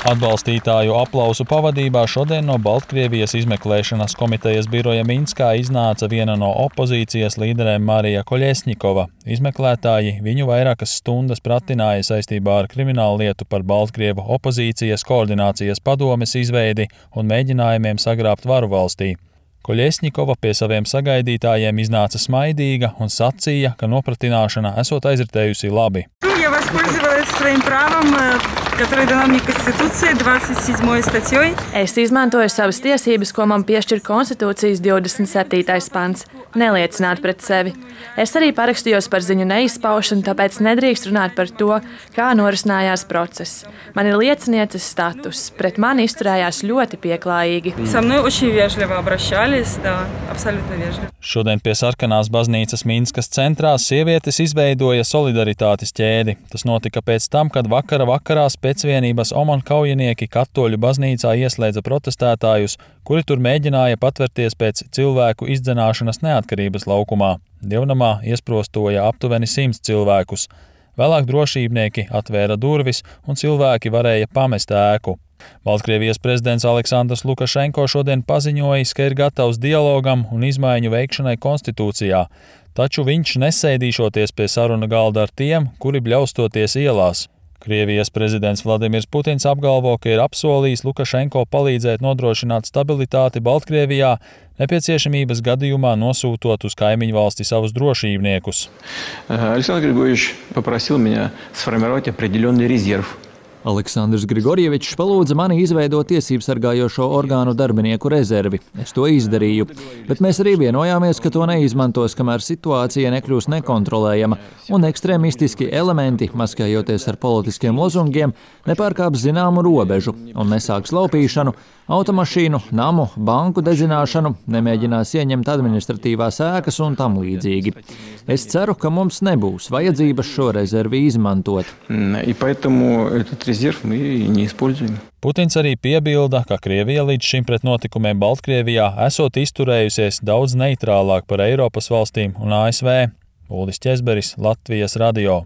Atbalstītāju aplausu pavadībā šodien no Baltkrievijas izmeklēšanas komitejas biroja Minskā iznāca viena no opozīcijas līderēm Marija Koļesņikova. Izmeklētāji viņu vairākas stundas pratināja saistībā ar kriminālu lietu par Baltkrievu opozīcijas koordinācijas padomes izveidi un mēģinājumiem sagrābt varu valstī. Koļesņikova pie saviem sagaidītājiem iznāca smaidīga un sacīja, ka nopratināšana esot aizritējusi labi. Я воспользовалась своим правом, которое дано мне Конституцией, 27 статьей. Es izmantoju savas tiesības, ko man piešķir Konstitūcijas 27. pants – neliecināt pret sevi. Es arī parakstījos par ziņu neizpaušanu, tāpēc nedrīkst runāt par to, kā norisinājās process. Man ir liecinieces status, pret mani izturējās ļoti pieklājīgi. Со мной очень вежливо обращались, да, абсолютно вежливо. Šodien pie Sarkanās baznīcas Minskas centrā sievietes izveidoja solidaritātes ķēdi. Tas notika pēc tam, kad vakarā Specvienības OMON kaujinieki Katoļu baznīcā ieslēdza protestētājus, kuri tur mēģināja patverties pēc cilvēku izdzenāšanas neatkarības laukumā. Dievnamā iesprostoja aptuveni 100 cilvēkus. Vēlāk drošībnieki atvēra durvis un cilvēki varēja pamest ēku. Baltkrievijas prezidents Aleksandrs Lukašenko šodien paziņojis, ka ir gatavs dialogam un izmaiņu veikšanai konstitūcijā, taču viņš nesēdīšoties pie saruna galda ar tiem, kuri bļaustoties ielās. Krievijas prezidents Vladimirs Putins apgalvo, ka ir apsolījis Lukašenko palīdzēt nodrošināt stabilitāti Baltkrievijā, nepieciešamības gadījumā nosūtot uz kaimiņu valsti savus drošībniekus. Александр Григорьевич попросил меня сформировать определенный резерв. Aleksandrs Grigorjevičs palūdza mani izveidot tiesību sargājošo orgānu darbinieku rezervi. Es to izdarīju, bet mēs arī vienojāmies, ka to neizmantos, kamēr situācija nekļūs nekontrolējama un ekstrēmistiski elementi, maskējoties ar politiskiem lozungiem, nepārkāps zināmu robežu un nesāks laupīšanu, automašīnu, namu, banku dedzināšanu, nemēģinās ieņemt administratīvās ēkas un tam līdzīgi. Es ceru, ka mums nebūs vajadzības šo rezervi izmantot. Putins arī piebilda, ka Krievija līdz šim pret notikumiem Baltkrievijā esot izturējusies daudz neitrālāk par Eiropas valstīm un ASV. Uldis Ķezberis, Latvijas radio.